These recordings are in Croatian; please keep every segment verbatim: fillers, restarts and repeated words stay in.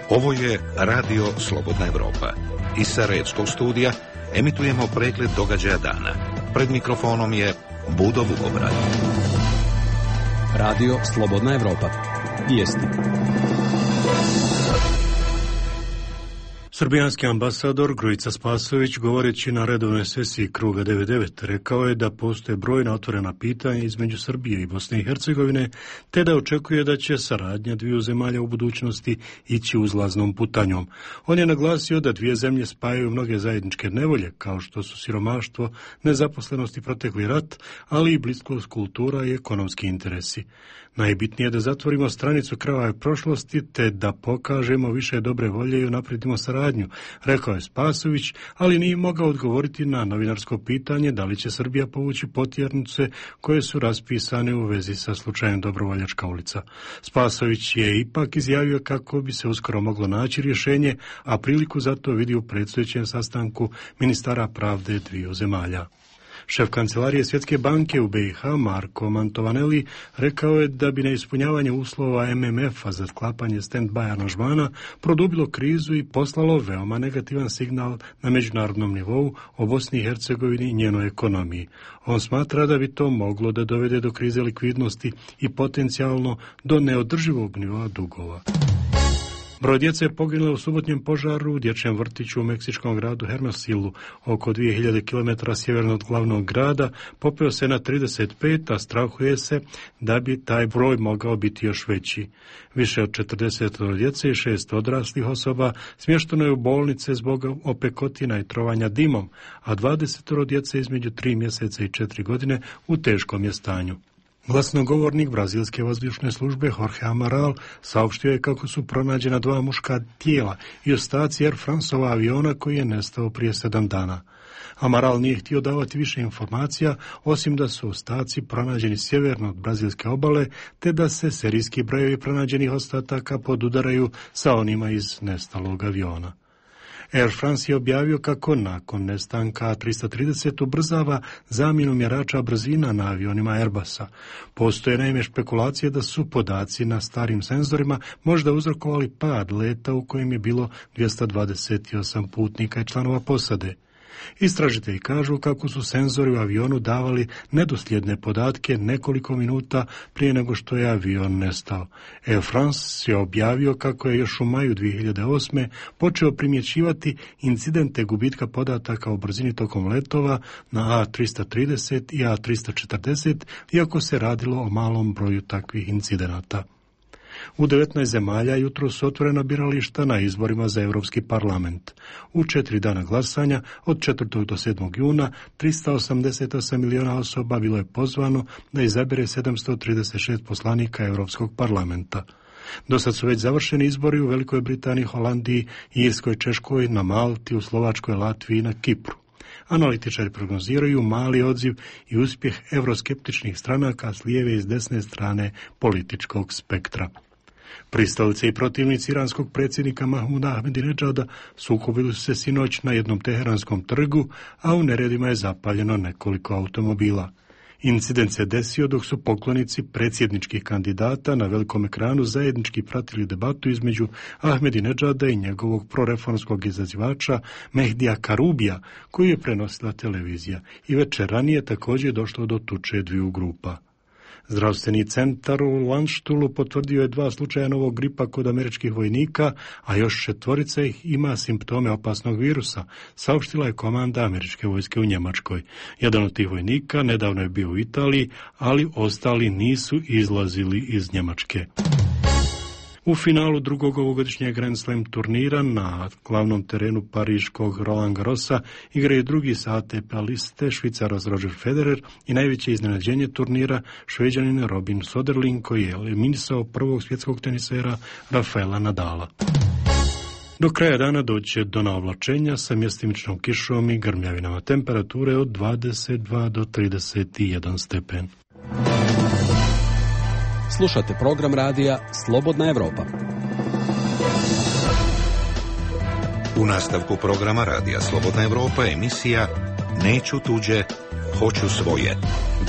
Ovo je Radio Slobodna Evropa. Iz Sarajevskog studija emitujemo pregled događaja dana. Pred mikrofonom je Budo Vukobrad. Radio Slobodna Evropa. Vijesti. Srbijanski ambasador Grujica Spasović, govoreći na redovnoj sesiji Kruga devedeset devet, rekao je da postoje brojna otvorena pitanja između Srbije i Bosne i Hercegovine, te da očekuje da će saradnja dviju zemalja u budućnosti ići uzlaznom putanjom. On je naglasio da dvije zemlje spajaju mnoge zajedničke nevolje, kao što su siromaštvo, nezaposlenost i protekli rat, ali i bliskost kultura i ekonomski interesi. Najbitnije je da zatvorimo stranicu krvave prošlosti, te da pokažemo više dobre volje i unapredimo saradnju, rekao je Spasović, ali nije mogao odgovoriti na novinarsko pitanje da li će Srbija povući potjernice koje su raspisane u vezi sa slučajem Dobrovoljačka ulica. Spasović je ipak izjavio kako bi se uskoro moglo naći rješenje, a priliku za to vidi u predstojećem sastanku ministara pravde dviju zemalja. Šef kancelarije Svjetske banke u B i H, Marko Mantovaneli, rekao je da bi neispunjavanje uslova M M F-a za sklapanje stand-by aranžmana produbilo krizu i poslalo veoma negativan signal na međunarodnom nivou o Bosni i Hercegovini i njenoj ekonomiji. On smatra da bi to moglo da dovede do krize likvidnosti i potencijalno do neodrživog nivoa dugova. Broj djece je poginulo u subotnjem požaru u dječjem vrtiću u meksičkom gradu Hermosillu, oko dvije hiljade kilometara sjeverno od glavnog grada, popeo se na trideset pet, a strahuje se da bi taj broj mogao biti još veći. Više od četrdeset djece i šest odraslih osoba smješteno je u bolnice zbog opekotina i trovanja dimom, a dvadeset djece između tri mjeseca i četiri godine u teškom je stanju. Glasnogovornik brazilske vazdušne službe Jorge Amaral saopštio je kako su pronađena dva muška tijela i ostaci Air Franceova aviona koji je nestao prije sedam dana. Amaral nije htio davati više informacija, osim da su ostaci pronađeni sjeverno od brazilske obale, te da se serijski brojevi pronađenih ostataka podudaraju sa onima iz nestalog aviona. Air France je objavio kako nakon nestanka A tristo trideset ubrzava zamjenu mjerača brzina na avionima Airbusa. Postoje naime špekulacije da su podaci na starim senzorima možda uzrokovali pad leta u kojem je bilo dvjesto dvadeset osam putnika i članova posade. Istražitelji kažu kako su senzori u avionu davali nedosljedne podatke nekoliko minuta prije nego što je avion nestao. Air France je objavio kako je još u maju dvije hiljade osme počeo primjećivati incidente gubitka podataka o brzini tokom letova na A tristo trideset i A tristo četrdeset, iako se radilo o malom broju takvih incidenata. U devetnaest zemalja jutro su otvorena birališta na izborima za Europski parlament. U četiri dana glasanja, od četvrtog do sedmog juna, tristo osamdeset osam milijuna osoba bilo je pozvano da izabere sedamsto trideset šest poslanika Europskog parlamenta. Do sad su već završeni izbori u Velikoj Britaniji, Holandiji, Irskoj, Češkoj, na Malti, u Slovačkoj, Latviji i na Kipru. Analitičari prognoziraju mali odziv i uspjeh euroskeptičnih stranaka s lijeve i s desne strane političkog spektra. Pristalice i protivnici iranskog predsjednika Mahmuda Ahmedinedžada sukobili su se sinoć na jednom teheranskom trgu, a u neredima je zapaljeno nekoliko automobila. Incident se desio dok su poklonici predsjedničkih kandidata na velikom ekranu zajednički pratili debatu između Ahmedinedžada i njegovog proreformskog izazivača Mehdija Karubija, koju je prenosila televizija. I večer ranije također je došlo do tuče dviju grupa. Zdravstveni centar u Landštulu potvrdio je dva slučaja novog gripa kod američkih vojnika, a još četvorica ih ima simptome opasnog virusa, saopštila je komanda američke vojske u Njemačkoj. Jedan od tih vojnika nedavno je bio u Italiji, ali ostali nisu izlazili iz Njemačke. U finalu drugog ovogodišnjeg Grand Slam turnira na glavnom terenu pariškog Roland Garrosa igraju drugi sa A T P liste Švicarac Roger Federer i najveće iznenađenje turnira Šveđanin Robin Söderling, koji je eliminisao prvog svjetskog tenisera Rafaela Nadala. Do kraja dana doće do naoblačenja sa mjestimičnom kišom i grmljavinama, temperature od dvadeset dva do trideset jedan stepen. Slušate program radija Slobodna Evropa. U nastavku programa radija Slobodna Evropa emisija Neću tuđe, hoću svoje,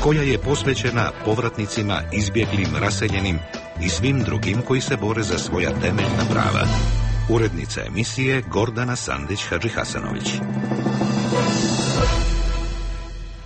koja je posvećena povratnicima, izbjeglim, raseljenim i svim drugim koji se bore za svoja temeljna prava. Urednica emisije Gordana Sandić-Hadžihasanović.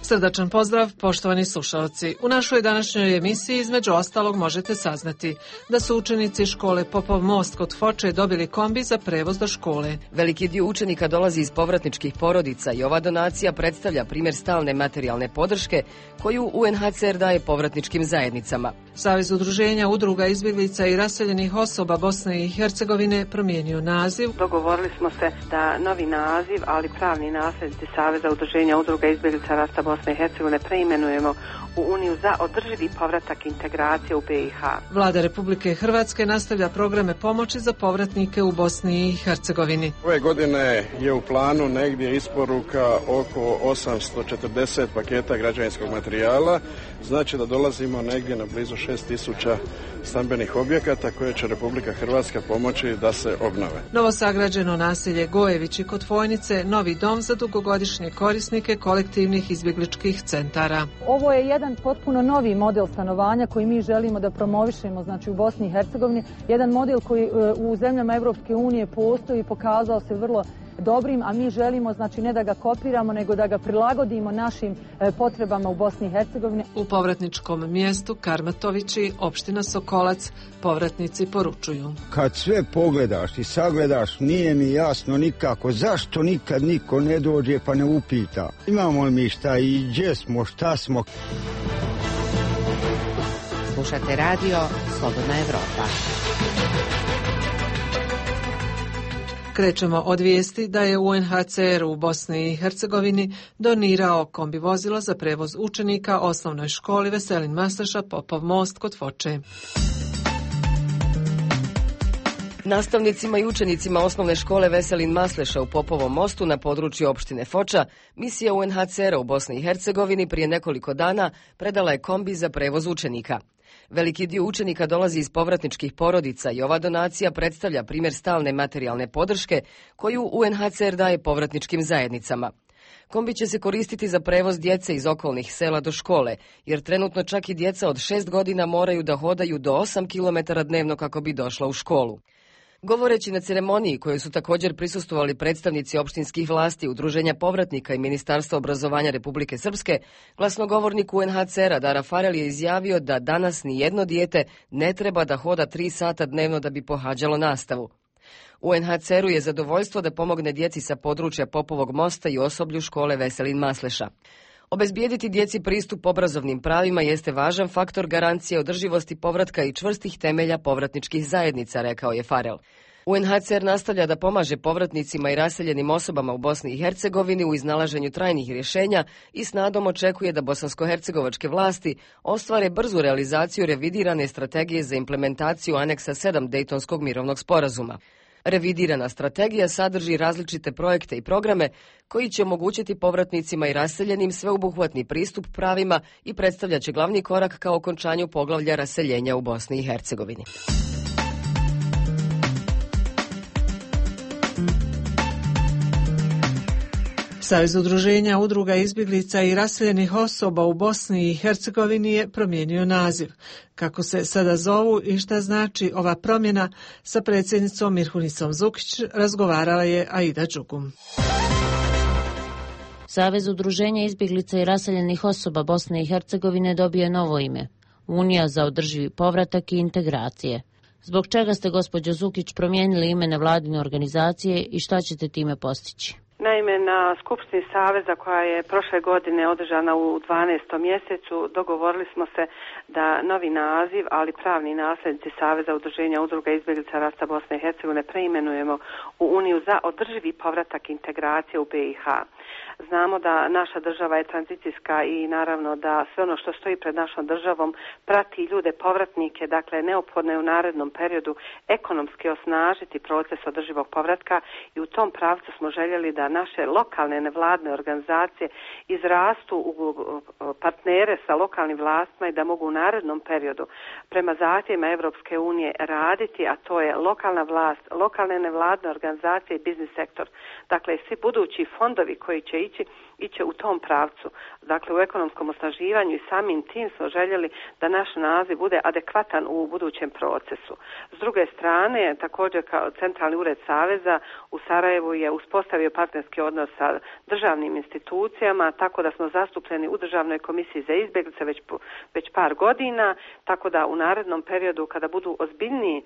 Srdačan pozdrav, poštovani slušalci. U našoj današnjoj emisiji između ostalog možete saznati da su učenici škole Popov most kod Foče dobili kombi za prevoz do škole. Veliki dio učenika dolazi iz povratničkih porodica i ova donacija predstavlja primjer stalne materijalne podrške koju U N H C R daje povratničkim zajednicama. Savez udruženja udruga izbjeglica i raseljenih osoba Bosne i Hercegovine promijenio naziv. Dogovorili smo se da novi naziv, ali pravni nasljednici Saveza udruženja udruga izbjeglica rasta Bosne i Hercegovine preimenujemo u Uniju za održivi povratak integracije u B i H. Vlada Republike Hrvatske nastavlja programe pomoći za povratnike u Bosni i Hercegovini. Ove godine je u planu negdje isporuka oko osamsto četrdeset paketa građevinskog materijala, znači da dolazimo negdje na blizu šest tisuća stambenih objekata koje će Republika Hrvatska pomoći da se obnove. Novosagrađeno naselje Gojevići kod Fojnice, novi dom za dugogodišnje korisnike kolektivnih izbjegličkih centara. Ovo je jedan potpuno novi model stanovanja koji mi želimo da promovišemo, znači u Bosni i Hercegovini, jedan model koji u zemljama Europske unije postoji i pokazao se vrlo dobrim, a mi želimo, znači, ne da ga kopiramo, nego da ga prilagodimo našim e, potrebama u Bosni i Hercegovini. U povratničkom mjestu Karmatovići, opština Sokolac, povratnici poručuju. Kad sve pogledaš i sagledaš, nije mi jasno nikako zašto nikad niko ne dođe pa ne upita. Imamo li mi šta i gdje smo, šta smo. Slušate radio Slobodna Evropa. Krećemo od vijesti da je U N H C R u Bosni i Hercegovini donirao kombi vozilo za prevoz učenika osnovnoj školi Veselin Masleša Popov most kod Foče. Nastavnicima i učenicima osnovne škole Veselin Masleša u Popovom mostu na području opštine Foča, misija U N H C R u Bosni i Hercegovini prije nekoliko dana predala je kombi za prevoz učenika. Veliki dio učenika dolazi iz povratničkih porodica i ova donacija predstavlja primjer stalne materijalne podrške koju U N H C R daje povratničkim zajednicama. Kombi će se koristiti za prevoz djece iz okolnih sela do škole, jer trenutno čak i djeca od šest godina moraju da hodaju do osam kilometara dnevno kako bi došla u školu. Govoreći na ceremoniji kojoj su također prisustvovali predstavnici opštinskih vlasti, Udruženja povratnika i Ministarstva obrazovanja Republike Srpske, glasnogovornik U N H C R-a Dara Farel je izjavio da danas ni jedno dijete ne treba da hoda tri sata dnevno da bi pohađalo nastavu. U N H C R-u je zadovoljstvo da pomogne djeci sa područja Popovog mosta i osoblju škole Veselin Masleša. Obezbijediti djeci pristup obrazovnim pravima jeste važan faktor garancije održivosti povratka i čvrstih temelja povratničkih zajednica, rekao je Farel. U N H C R nastavlja da pomaže povratnicima i raseljenim osobama u Bosni i Hercegovini u iznalaženju trajnih rješenja i s nadom očekuje da bosansko-hercegovačke vlasti ostvare brzu realizaciju revidirane strategije za implementaciju aneksa sedam Dejtonskog mirovnog sporazuma. Revidirana strategija sadrži različite projekte i programe koji će omogućiti povratnicima i raseljenim sveobuhvatni pristup pravima i predstavljaće glavni korak ka okončanju poglavlja raseljenja u Bosni i Hercegovini. Savez udruženja udruga izbjeglica i raseljenih osoba u Bosni i Hercegovini je promijenio naziv. Kako se sada zovu i šta znači ova promjena, sa predsjednicom Mirhunicom Zukić razgovarala je Aida Đugum. Savez udruženja izbjeglica i raseljenih osoba Bosne i Hercegovine dobio je novo ime, Unija za održivi povratak i integracije. Zbog čega ste, gospođo Zukić, promijenili ime nevladine organizacije i šta ćete time postići? Naime, na Skupštini Saveza koja je prošle godine održana u dvanaestom mjesecu dogovorili smo se da novi naziv, ali pravni nasljednici Saveza udruženja udruga izbjeglica rasta Bosne i Hercegovine preimenujemo u Uniju za održivi povratak integracije u B i H. Znamo da naša država je tranzicijska i naravno da sve ono što stoji pred našom državom prati ljude povratnike, dakle neophodno je u narednom periodu ekonomski osnažiti proces održivog povratka i u tom pravcu smo željeli da naše lokalne nevladne organizacije izrastu u partnere sa lokalnim vlastima i da mogu u narednom periodu prema zahtjevima Europske unije raditi, a to je lokalna vlast, lokalne nevladne organizacije i biznis sektor. Dakle, svi budući fondovi koji će ići, iće u tom pravcu. Dakle, u ekonomskom osnaživanju i samim tim smo željeli da naš naziv bude adekvatan u budućem procesu. S druge strane, također kao Centralni ured Saveza u Sarajevu je uspostavio partnerski odnos sa državnim institucijama, tako da smo zastupljeni u Državnoj komisiji za izbjeglice već, već par godina, tako da u narednom periodu kada budu ozbiljniji,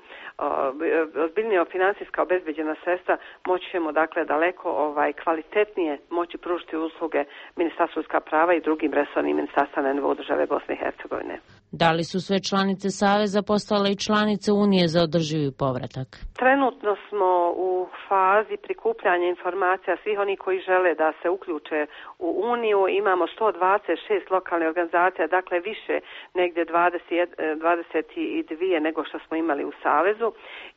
ozbiljnije financijska obezbeđena sredstva, moći ćemo dakle daleko ovaj, kvalitetnije moći pružiti usluge Ministarstva ljudska prava i drugim resornim ministarstvima na nivou države Bosne i Hercegovine. Da li su sve članice Saveza postale i članice Unije za održivi povratak? Trenutno smo u fazi prikupljanja informacija svih onih koji žele da se uključe u Uniju. Imamo sto dvadeset šest lokalnih organizacija, dakle više negdje dvadeset, dvadeset dva nego što smo imali u Savezu.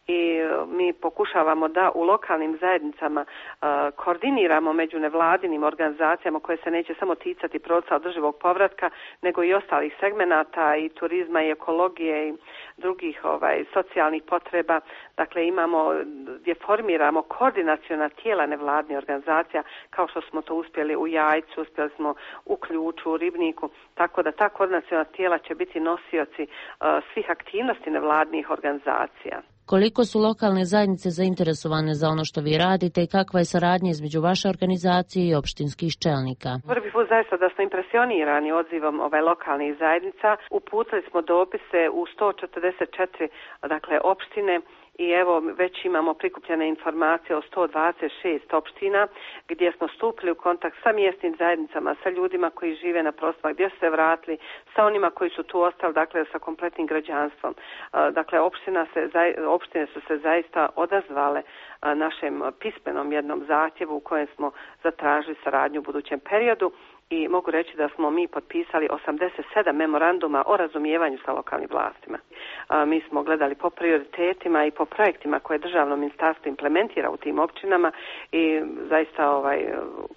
I mi pokušavamo da u lokalnim zajednicama uh, koordiniramo među nevladinim organizacijama koje se neće samo ticati procesa održivog povratka, nego i ostalih segmenata i turizma i ekologije i drugih ovaj, socijalnih potreba. Dakle, imamo, gdje formiramo koordinaciona tijela nevladnih organizacija, kao što smo to uspjeli u Jajcu, uspjeli smo u Ključu, u Ribniku, tako da ta koordinaciona tijela će biti nosioci uh, svih aktivnosti nevladnih organizacija. Koliko su lokalne zajednice zainteresovane za ono što vi radite i kakva je saradnja između vaše organizacije i opštinskih čelnika? Prvi put zaista da smo impresionirani odzivom ovaj lokalnih zajednica. Uputili smo dopise u sto četrdeset četiri dakle, opštine. I evo već imamo prikupljene informacije o sto dvadeset šest opština gdje smo stupili u kontakt sa mjesnim zajednicama, sa ljudima koji žive na prostorima gdje su se vratili, sa onima koji su tu ostali, dakle sa kompletnim građanstvom. Dakle, opština se, opštine su se zaista odazvale našem pismenom jednom zahtjevu u kojem smo zatražili saradnju u budućem periodu. I mogu reći da smo mi potpisali osamdeset sedam memoranduma o razumijevanju sa lokalnim vlastima. A, mi smo gledali po prioritetima i po projektima koje državno ministarstvo implementira u tim općinama i zaista, ovaj,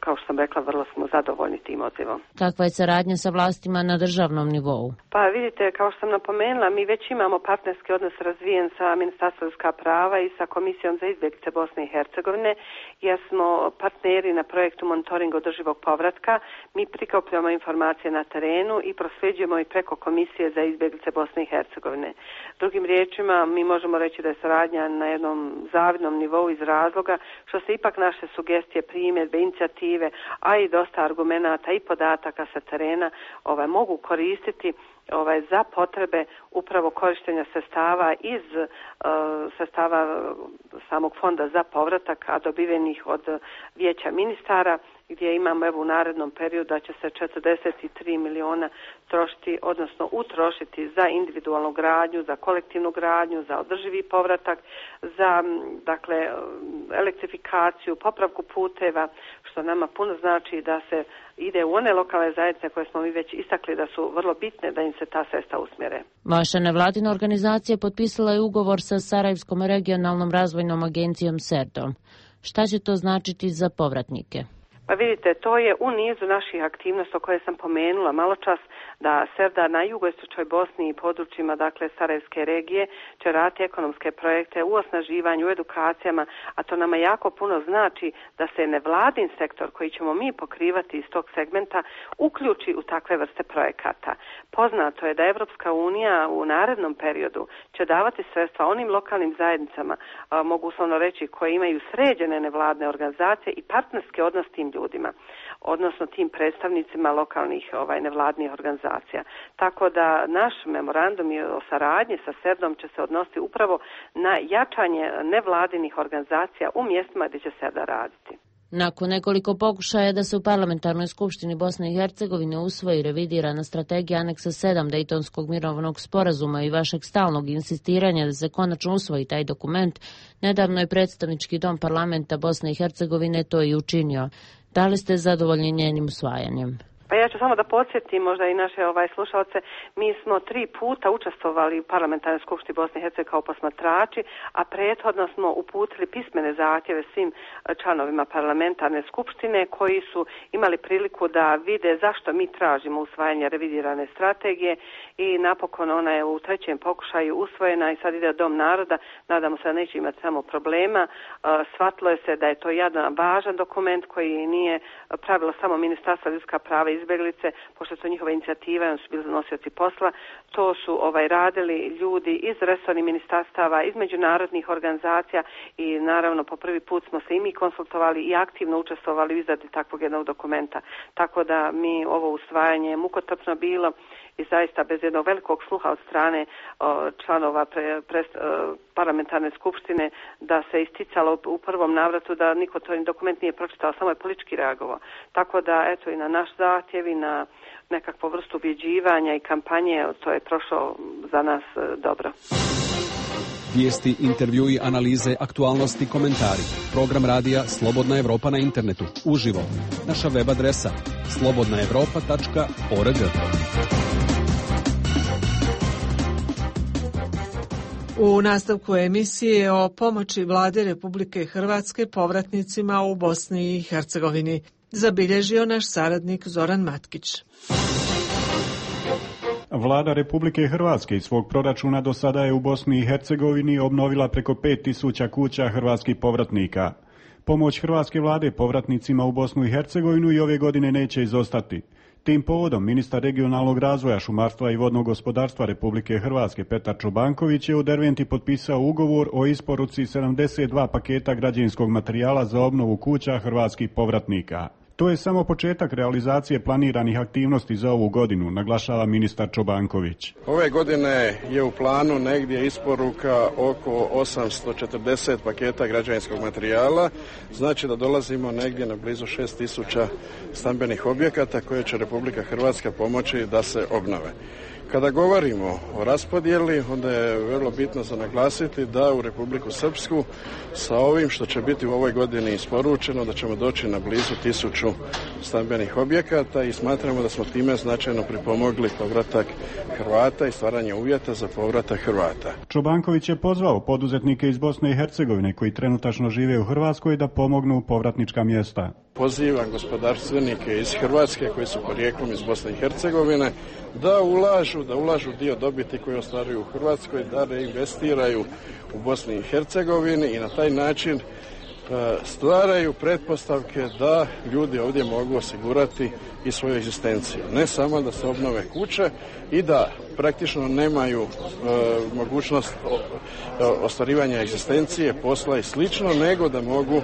kao što sam rekla, vrlo smo zadovoljni tim odzivom. Kakva je saradnja sa vlastima na državnom nivou? Pa vidite, kao što sam napomenula, mi već imamo partnerski odnos razvijen sa Ministarstvom ljudska prava i sa Komisijom za izbjeglice Bosne i Hercegovine, jer smo partneri na projektu monitoringa održivog povratka. Mi prikupljamo informacije na terenu i prosljeđujemo i preko Komisije za izbjeglice Bosne i Hercegovine. Drugim riječima, mi možemo reći da je saradnja na jednom zavidnom nivou iz razloga što se ipak naše sugestije, primjedbe, inicijative, a i dosta argumenata i podataka sa terena ovaj, mogu koristiti ovaj, za potrebe upravo korištenja sredstava iz uh, sredstava samog fonda za povratak, a dobivenih od vijeća ministara, gdje imamo evo u narednom periodu da će se četrdeset tri miliona trošiti, odnosno utrošiti za individualnu gradnju, za kolektivnu gradnju, za održivi povratak, za dakle elektrifikaciju, popravku puteva, što nama puno znači da se ide u one lokalne zajednice koje smo mi već istakli da su vrlo bitne da im se ta sredstva usmjere. Vaša nevladina organizacija potpisala je ugovor sa Sarajevskom regionalnom razvojnom agencijom SERDom. Šta će to značiti za povratnike? Pa vidite, to je u nizu naših aktivnosti o koje sam pomenula malo čas, da SERDA na jugoistočnoj Bosni i područjima, dakle Sarajevske regije, će raditi ekonomske projekte u osnaživanju, u edukacijama, a to nama jako puno znači da se nevladin sektor koji ćemo mi pokrivati iz tog segmenta uključi u takve vrste projekata. Poznato je da Evropska unija u narednom periodu će davati sredstva onim lokalnim zajednicama, a, mogu uslovno reći, koje imaju sređene nevladne organizacije i partnerski odnos tim ljudima, odnosno tim predstavnicima lokalnih ovaj, nevladnih organizacija. Tako da naš memorandum o saradnji sa SERDom će se odnositi upravo na jačanje nevladinih organizacija u mjestima gdje će SERDA raditi. Nakon nekoliko pokušaja da se u Parlamentarnoj skupštini Bosne i Hercegovine usvoji revidirana strategija aneksa sedam Dejtonskog mirovnog sporazuma i vašeg stalnog insistiranja da se konačno usvoji taj dokument, nedavno je predstavnički dom parlamenta Bosne i Hercegovine to i učinio. Da li ste zadovoljni njenim usvajanjem? Pa ja ću samo da podsjetim možda i naše ovaj slušalce, mi smo tri puta učestvovali u parlamentarnoj skupštini Bosne i Hercegovine kao posmatrači, a prethodno smo uputili pismene zahtjeve svim članovima parlamentarne skupštine koji su imali priliku da vide zašto mi tražimo usvajanje revidirane strategije i napokon ona je u trećem pokušaju usvojena i sad ide Dom naroda. Nadamo se da neće imati samo problema. Shvatilo je se da je to jedan važan dokument koji nije pravilo samo Ministarstva ljudska prava i izbjeglice, pošto je to njihova inicijativa i oni su bili nosioci posla. To su ovaj radili ljudi iz resornih ministarstava, iz međunarodnih organizacija i naravno po prvi put smo se i mi konsultovali i aktivno učestvovali u izradi takvog jednog dokumenta. Tako da mi ovo usvajanje mukotrpno bilo i zaista bez jednog velikog sluha od strane o, članova pre, pre, o, parlamentarne skupštine da se isticalo u prvom navratu da niko to dokument nije pročitao, samo je politički reagovao. Tako da eto i na naš zahtjev i na nekakvu vrstu ubjeđivanja i kampanje to je prošlo za nas e, dobro. Vijesti, intervjui, analize, aktualnosti, komentari. Program radija Slobodna Evropa na internetu. Uživo. Naša web adresa slobodna evropa tačka org. U nastavku emisije o pomoći Vlade Republike Hrvatske povratnicima u Bosni i Hercegovini zabilježio naš saradnik Zoran Matkić. Vlada Republike Hrvatske iz svog proračuna do sada je u Bosni i Hercegovini obnovila preko pet tisuća kuća hrvatskih povratnika. Pomoć hrvatske vlade povratnicima u Bosnu i Hercegovinu i ove godine neće izostati. Tim povodom ministar regionalnog razvoja, šumarstva i vodnog gospodarstva Republike Hrvatske Petar Čobanković je u Derventi potpisao ugovor o isporuci sedamdeset dva paketa građevinskog materijala za obnovu kuća hrvatskih povratnika. To je samo početak realizacije planiranih aktivnosti za ovu godinu, naglašava ministar Čobanković. Ove godine je u planu negdje isporuka oko osamsto četrdeset paketa građevinskog materijala, znači da dolazimo negdje na blizu šest tisuća stambenih objekata koje će Republika Hrvatska pomoći da se obnove. Kada govorimo o raspodjeli, onda je vrlo bitno za naglasiti da u Republiku Srpsku sa ovim što će biti u ovoj godini isporučeno, da ćemo doći na blizu tisuću stambenih objekata i smatramo da smo time značajno pripomogli povratak Hrvata i stvaranje uvjeta za povratak Hrvata. Čobanković je pozvao poduzetnike iz Bosne i Hercegovine koji trenutačno žive u Hrvatskoj da pomognu povratnička mjesta. Pozivam gospodarstvenike iz Hrvatske koji su porijeklom iz Bosne i Hercegovine da ulažu, da ulažu dio dobiti koje ostvaruju u Hrvatskoj, da reinvestiraju u Bosni i Hercegovini i na taj način stvaraju pretpostavke da ljudi ovdje mogu osigurati i svoju egzistenciju. Ne samo da se obnove kuće i da praktično nemaju e, mogućnost o, o, ostvarivanja egzistencije, posla i slično, nego da mogu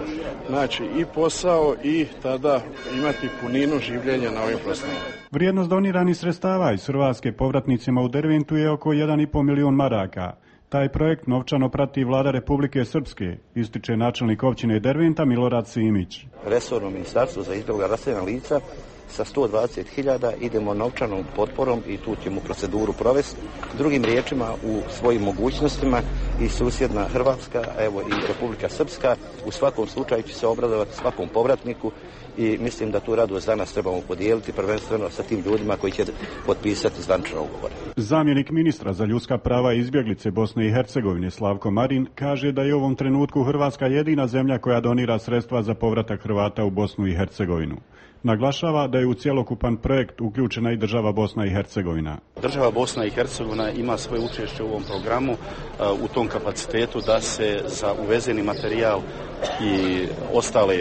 naći i posao i tada imati puninu življenja na ovim prostorima. Vrijednost doniranih sredstava iz Hrvatske povratnicima u Derventu je oko jedan i pol milijun maraka. Taj projekt novčano prati vlada Republike Srpske, ističe načelnik općine Derventa Milorad Simić. Resorno ministarstvo za izbjegla raseljena lica sa sto dvadeset hiljada idemo novčanom potporom i tu ćemo proceduru provesti. Drugim riječima, u svojim mogućnostima i susjedna Hrvatska, evo i Republika Srpska, u svakom slučaju će se obradovati svakom povratniku i mislim da tu radost danas trebamo podijeliti prvenstveno sa tim ljudima koji će potpisati zvaničan ugovor. Zamjenik ministra za ljudska prava i izbjeglice Bosne i Hercegovine Slavko Marin kaže da je u ovom trenutku Hrvatska jedina zemlja koja donira sredstva za povratak Hrvata u Bosnu i Hercegovinu. Naglašava da je u cjelokupan projekt uključena i država Bosna i Hercegovina. Država Bosna i Hercegovina ima svoje učešće u ovom programu u tom kapacitetu da se za uvezeni materijal i ostale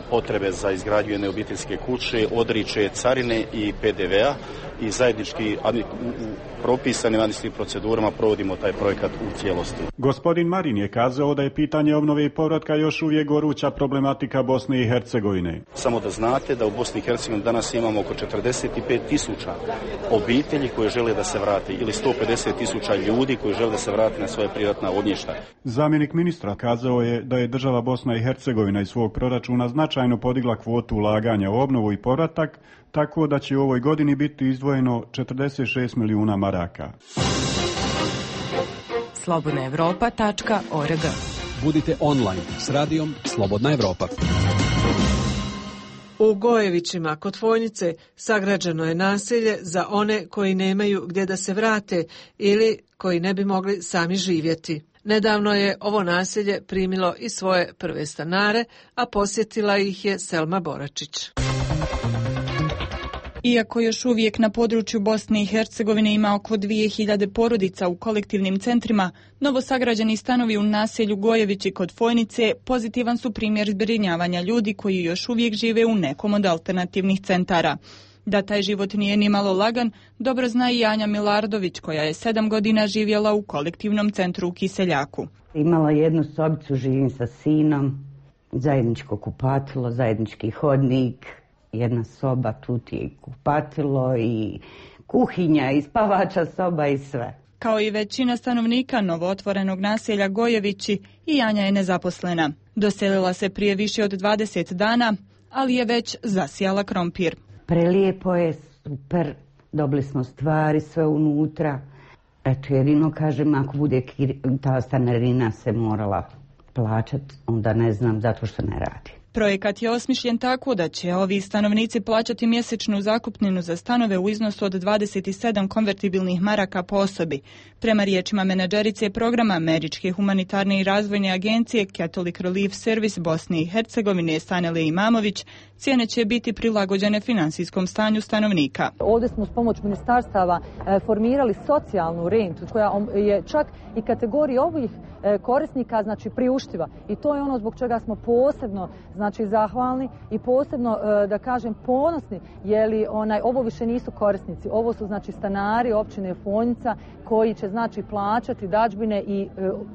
potrebe za izgradnju jedne obiteljske kuće odriče carine i P D V-a i zajednički u propisanim administrativnim procedurama provodimo taj projekat u cijelosti. Gospodin Marin je kazao da je pitanje obnove i povratka još uvijek goruća problematika Bosne i Hercegovine. Samo da znate da u Bosni i Hercegovini danas imamo oko četrdeset pet tisuća obitelji koje žele da se vrate ili sto pedeset tisuća ljudi koji žele da se vrate na svoje privatna ognjišta. Zamjenik ministra kazao je da je država Bosna i Hercegovina iz svog proračuna značajno podigla kvotu ulaganja u obnovu i povratak, tako da će u ovoj godini biti izdvojeno četrdeset šest milijuna maraka. slobodna evropa tačka org. Budite online s radijom Slobodna Evropa. U Gojevićima kod Fojnice sagrađeno je naselje za one koji nemaju gdje da se vrate ili koji ne bi mogli sami živjeti. Nedavno je ovo naselje primilo i svoje prve stanare, a posjetila ih je Selma Boračić. Iako još uvijek na području Bosne i Hercegovine ima oko dvije hiljade porodica u kolektivnim centrima, novosagrađeni stanovi u naselju Gojevići kod Fojnice pozitivan su primjer zbrinjavanja ljudi koji još uvijek žive u nekom od alternativnih centara. Da taj život nije ni malo lagan, dobro zna i Anja Milardović, koja je sedam godina živjela u kolektivnom centru u Kiseljaku. Imala jednu sobicu, živim sa sinom, zajedničko kupatilo, zajednički hodnik, jedna soba, tu ti je kupatilo i kuhinja i spavača soba i sve. Kao i većina stanovnika novootvorenog naselja Gojevići, i Anja je nezaposlena. Doselila se prije više od dvadeset dana, ali je već zasijala krompir. Prelijepo je, super, dobili smo stvari sve unutra. Eto, jedino kažem, ako bude ta stanarina se morala plaćati, onda ne znam, zato što ne radi. Projekat je osmišljen tako da će ovi stanovnici plaćati mjesečnu zakupninu za stanove u iznosu od dvadeset sedam konvertibilnih maraka po osobi. Prema riječima menadžerice programa Američke humanitarne i razvojne agencije Catholic Relief Service Bosne i Hercegovine Sanele Imamović, cijene će biti prilagođene finansijskom stanju stanovnika. Ovdje smo s pomoć ministarstava formirali socijalnu rentu koja je čak i kategorija ovih korisnika znači priuštiva, i to je ono zbog čega smo posebno znači zahvalni i posebno da kažem ponosni, jer onaj ovo više nisu korisnici, ovo su znači stanari općine Fojnica koji će znači plaćati dadžbine i,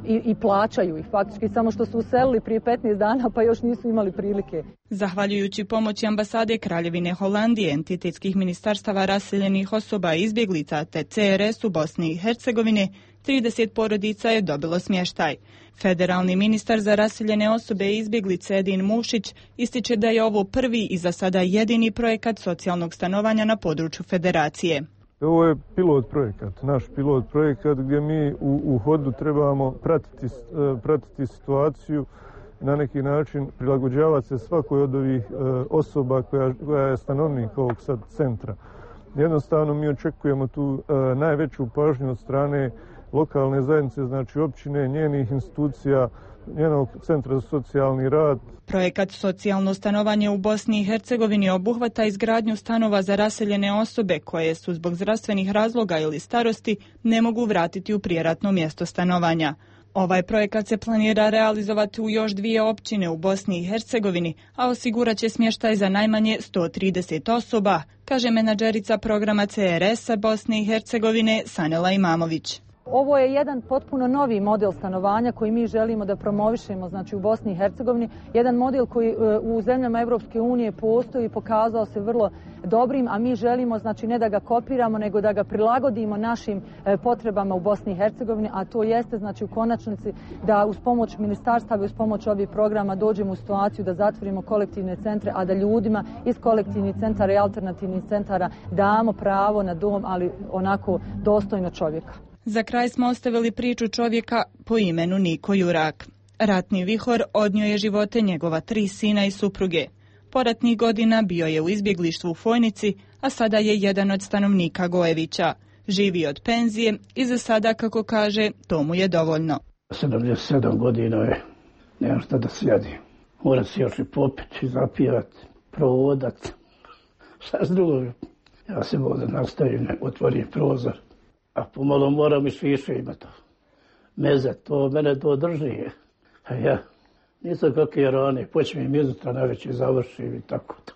i, i plaćaju ih faktički, samo što su uselili prije petnaest dana pa još nisu imali prilike. Zahvaljujući pomoći ambasade Kraljevine Holandije, entitetskih ministarstava raseljenih osoba i izbjeglica te C R S u Bosni i Hercegovine, trideset porodica je dobilo smještaj. Federalni ministar za raseljene osobe i izbjeglice Edin Mušić ističe da je ovo prvi i za sada jedini projekat socijalnog stanovanja na području federacije. Ovo je pilot projekat, naš pilot projekat gdje mi u, u hodu trebamo pratiti, pratiti situaciju, na neki način prilagođavati se svakoj od ovih e, osoba koja, koja je stanovnik ovog sad centra. Jednostavno mi očekujemo tu e, najveću pažnju od strane lokalne zajednice, znači općine, njenih institucija, njenog centra za socijalni rad. Projekat Socijalno stanovanje u Bosni i Hercegovini obuhvata izgradnju stanova za raseljene osobe koje su zbog zdravstvenih razloga ili starosti ne mogu vratiti u prijeratno mjesto stanovanja. Ovaj projekat se planira realizovati u još dvije općine u Bosni i Hercegovini, a osigurat će smještaj za najmanje sto trideset osoba, kaže menadžerica programa C R S-a Bosne i Hercegovine Sanela Imamović. Ovo je jedan potpuno novi model stanovanja koji mi želimo da promovišemo znači u Bosni i Hercegovini. Jedan model koji u zemljama Europske unije postoji i pokazao se vrlo dobrim, a mi želimo znači ne da ga kopiramo, nego da ga prilagodimo našim potrebama u Bosni i Hercegovini, a to jeste znači u konačnici da uz pomoć ministarstava i uz pomoć ovih programa dođemo u situaciju da zatvorimo kolektivne centre, a da ljudima iz kolektivnih centara i alternativnih centara damo pravo na dom, ali onako dostojno čovjeka. Za kraj smo ostavili priču čovjeka po imenu Niko Jurak. Ratni vihor odnio je živote njegova tri sina i supruge. Poratnih godina bio je u izbjeglištvu u Fojnici, a sada je jedan od stanovnika Gojevića. Živi od penzije i za sada, kako kaže, to mu je dovoljno. sedamdeset sedam godina je, nemam šta da sjedi. Mora se još i popiti, zapijati, provodat. Šta s drugog? Ja se ovdje nastavim, otvorim prozor. A pomalo moram i više imati. Meze, to mene to drži. A ja nisam kakve rane, počnem izutra najveći završim i tako to.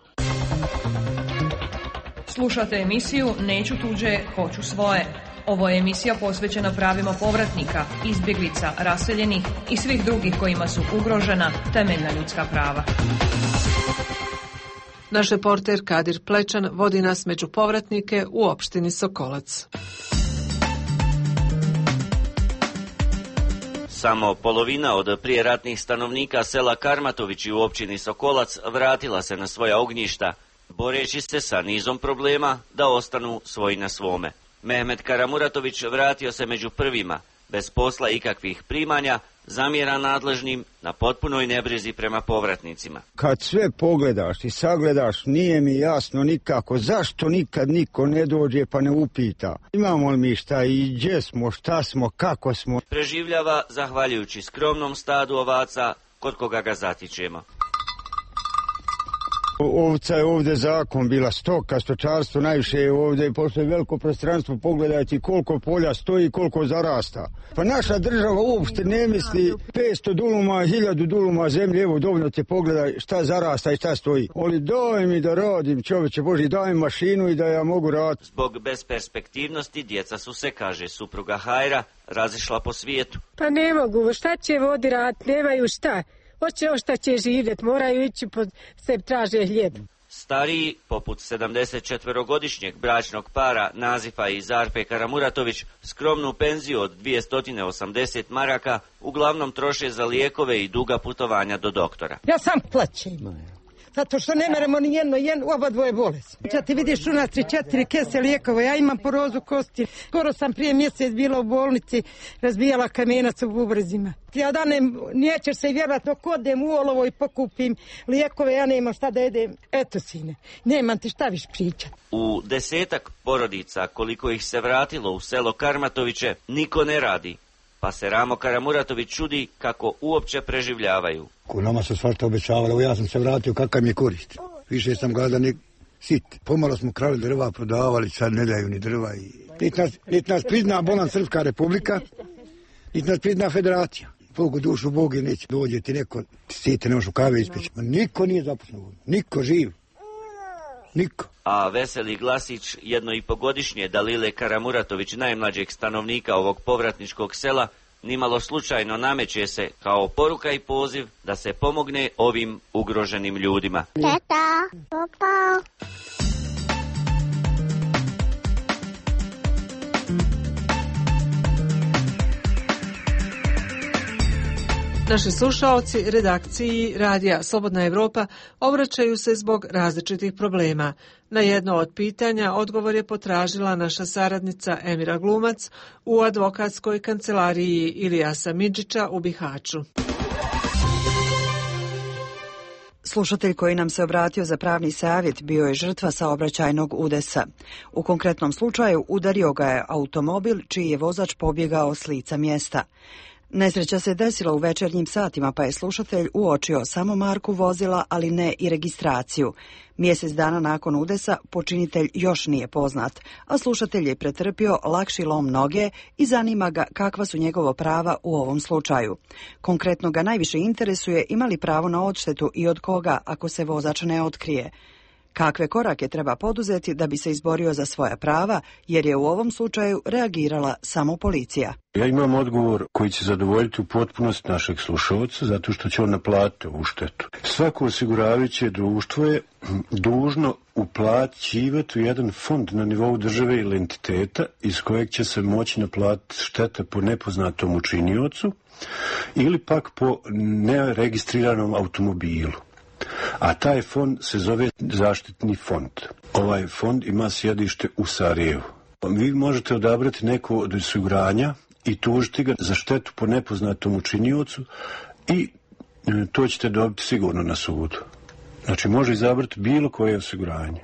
Slušate emisiju Neću tuđe, hoću svoje. Ovo je emisija posvećena pravima povratnika, izbjeglica, raseljenih i svih drugih kojima su ugrožena temeljna ljudska prava. Naš reporter Kadir Plečan vodi nas među povratnike u opštini Sokolac. Samo polovina od prijeratnih stanovnika sela Karmatovići u općini Sokolac vratila se na svoja ognjišta, boreći se sa nizom problema da ostanu svoji na svome. Mehmet Karamuratović vratio se među prvima, bez posla ikakvih primanja, zamjera nadležnim na potpunoj nebrizi prema povratnicima. Kad sve pogledaš i sagledaš, nije mi jasno nikako zašto nikad niko ne dođe pa ne upita. Imamo li mi šta i gdje smo, šta smo, kako smo. Preživljava zahvaljujući skromnom stadu ovaca kod koga ga zatičemo. Ovca je ovdje zakon, bila stoka, stočarstvo najviše je ovdje, pošto je veliko prostranstvo, pogledajte koliko polja stoji, koliko zarasta. Pa naša država uopšte ne misli petsto duluma, hiljadu duluma zemlje, evo dovoljno te pogledaj šta zarasta i šta stoji. Ali daj mi da radim, čovječe Boži, daj mi mašinu i da ja mogu raditi. Zbog besperspektivnosti djeca su se, kaže supruga Hajra, razišla po svijetu. Pa ne mogu, šta će vodi raditi, nemaju šta. Hoće o šta će živjeti, moraju ići pod se traže hljeb. Stariji, poput sedamdesetčetverogodišnjeg bračnog para Nazifa i Zarpe Karamuratović, skromnu penziju od dvjesto osamdeset maraka uglavnom troše za lijekove i duga putovanja do doktora. Ja sam plaćem, zato što ne meremo ni jedno, jedno, oba dvoje bolest. Ja ti vidiš u nas tri, četiri kese lijekova, ja imam porozu kosti. Skoro sam prije mjesec bila u bolnici, razbijala kamenac u bubrezima. Ja da ne, nećeš se vjerojatno kodem u olovo i pokupim lijekove, ja nemam šta da jedem. Eto sine, nemam ti šta viš pričati. U desetak porodica, koliko ih se vratilo u selo Karmatoviće, niko ne radi. Pa se Ramo Karamuratović čudi kako uopće preživljavaju. Ko nama su svašta obećavali, evo ja sam se vratio, kakav mi je korist. Više sam gladan i sit. Pomalo smo krali drva, prodavali, sad ne daju ni drva. I... Niti nas, nit nas prizna Bolan Srpska republika, niti nas prizna federacija. Bogu dušu, Bog je neće. Dođe ti neko, ti site, ne možeš u kave ispeći. Niko nije zaposlen, niko živ. Niko. A veseli glasić jedno i pogodišnje Dalile Karamuratović, najmlađeg stanovnika ovog povratničkog sela, nimalo slučajno nameće se kao poruka i poziv da se pomogne ovim ugroženim ljudima. Tata, papa. Naši slušaoci redakciji Radija Slobodna Evropa obraćaju se zbog različitih problema. Na jedno od pitanja odgovor je potražila naša saradnica Emira Glumac u advokatskoj kancelariji Ilijasa Midžića u Bihaću. Slušatelj koji nam se obratio za pravni savjet bio je žrtva saobraćajnog udesa. U konkretnom slučaju udario ga je automobil čiji je vozač pobjegao s lica mjesta. Nesreća se desila u večernjim satima, pa je slušatelj uočio samo marku vozila, ali ne i registraciju. Mjesec dana nakon udesa počinitelj još nije poznat, a slušatelj je pretrpio lakši lom noge i zanima ga kakva su njegovo prava u ovom slučaju. Konkretno ga najviše interesuje ima li pravo na odštetu i od koga ako se vozač ne otkrije. Kakve korake treba poduzeti da bi se izborio za svoja prava, jer je u ovom slučaju reagirala samo policija. Ja imam odgovor koji će zadovoljiti u potpunosti našeg slušalca, zato što će on naplatiti ovu štetu. Svako osiguravajuće društvo je dužno uplaćivati u jedan fond na nivou države ili entiteta iz kojeg će se moći naplatiti šteta po nepoznatom učiniocu ili pak po neregistriranom automobilu. A taj fond se zove zaštitni fond. Ovaj fond ima sjedište u Sarajevu. Vi možete odabrati neko od osiguranja i tužiti ga za štetu po nepoznatom učiniocu i to ćete dobiti sigurno na sudu. Znači može izabrati bilo koje osiguranje.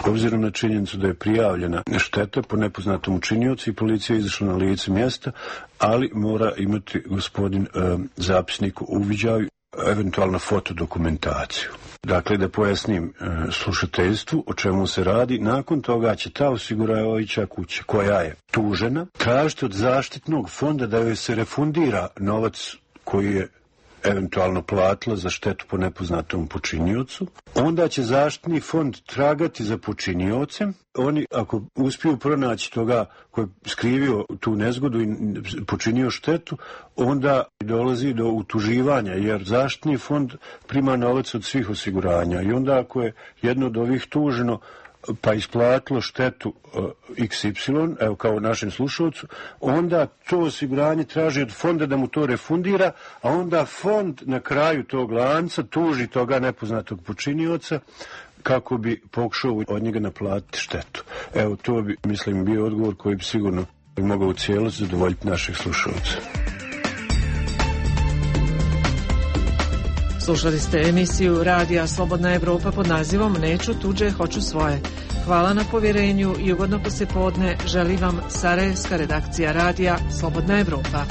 Obzirom na činjenicu da je prijavljena šteta po nepoznatom učiniocu i policija je izašla na lice mjesta, ali mora imati gospodin e, zapisnik u uviđaju, eventualno fotodokumentaciju. Dakle, da pojasnim e, slušateljstvu o čemu se radi, nakon toga će ta osiguravajuća kuća koja je tužena tražiti od zaštitnog fonda da joj se refundira novac koji je eventualno platila za štetu po nepoznatom počiniocu. Onda će zaštitni fond tragati za počiniocem. Oni, ako uspiju pronaći toga koji je skrivio tu nezgodu i počinio štetu, onda dolazi do utuživanja, jer zaštitni fond prima novac od svih osiguranja. I onda ako je jedno od ovih tuženo pa isplatilo štetu uh, iks ipsilon, evo kao našem slušalcu, onda to osiguranje traži od fonda da mu to refundira, a onda fond na kraju tog lanca tuži toga nepoznatog počinioca kako bi pokušao od njega naplatiti štetu. Evo, to bi, mislim, bio odgovor koji bi sigurno mogao u cijelosti zadovoljiti naših slušalca. Slušali ste emisiju Radija Slobodna Evropa pod nazivom Neću tuđe, hoću svoje. Hvala na povjerenju i ugodno poslijepodne želi vam Sarajevska redakcija Radija Slobodna Evropa.